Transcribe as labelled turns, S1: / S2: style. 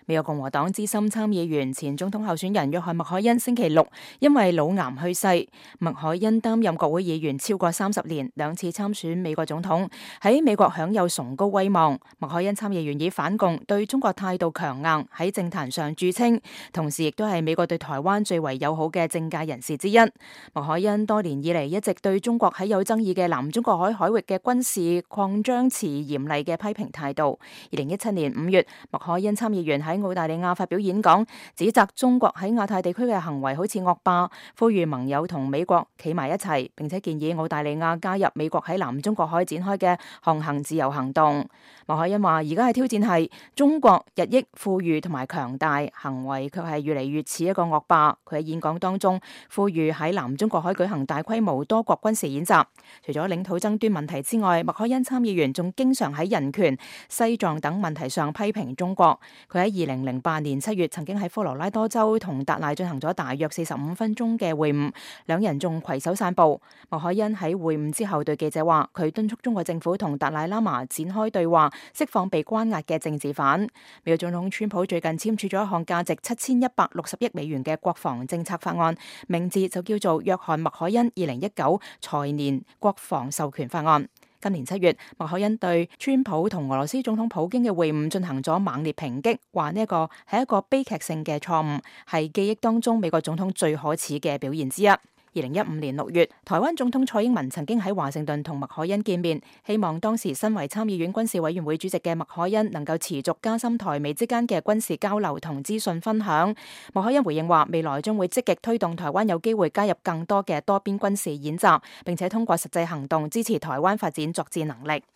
S1: 美國共和黨資深參議員前總統候選人約翰麥凱恩星期六因為腦癌去世。麥凱恩擔任國會議員超過30年，2次參選美國總統，喺美國享有崇高威望。麥凱恩參議員以反共、對中國態度強硬喺政壇上著稱，同時亦都係美國對台灣最為友好嘅政界人士之一。麥凱恩多年以嚟一直對中國喺有爭議嘅南中國海海域嘅軍事擴張持嚴厲嘅批評態度。2017年5月，麥凱恩參議員喺澳大利亞發表演講，指責中國喺亞太地區嘅行為好似惡霸，呼籲盟友同美國企埋一齊，並且建議澳大利亞加入美國喺南中國海展開嘅航行自由行動。麥凱恩話：而家嘅挑戰係中國日益富裕同埋強大，行為卻係越嚟越似一個惡霸。佢喺演講當中呼籲喺南中國海舉行大規模多國軍事演習。除咗領土爭端問題之外，麥凱恩參議員仲經常喺人權、西藏等問題上批評中國。佢喺2008年7月曾經喺科羅拉多州同達賴進行咗大約45分鐘嘅會晤，兩人仲攜手散步。麥凱恩喺會晤之後對記者話：佢敦促中國政府同達賴喇嘛展開對話，釋放被關押嘅政治犯。美國總統川普最近簽署咗一項價值7160億美元嘅國防政策法案，名字就叫做約翰麥凱恩2019財年國防授權法案。今年7月，麥凱恩對川普同俄羅斯總統普京嘅會晤進行咗猛烈抨擊，話呢一個係一個悲劇性嘅錯誤，係記憶當中美國總統最可恥嘅表現之一。2015年6月，台灣總統蔡英文曾經喺華盛頓同麥凱恩見面，希望當時身為參議院軍事委員會主席嘅麥凱恩能夠持續加深台美之間嘅軍事交流同資訊分享。麥凱恩回應話，未來將會積極推動台灣有機會加入更多嘅多邊軍事演習，並且通過實際行動支持台灣發展作戰能力。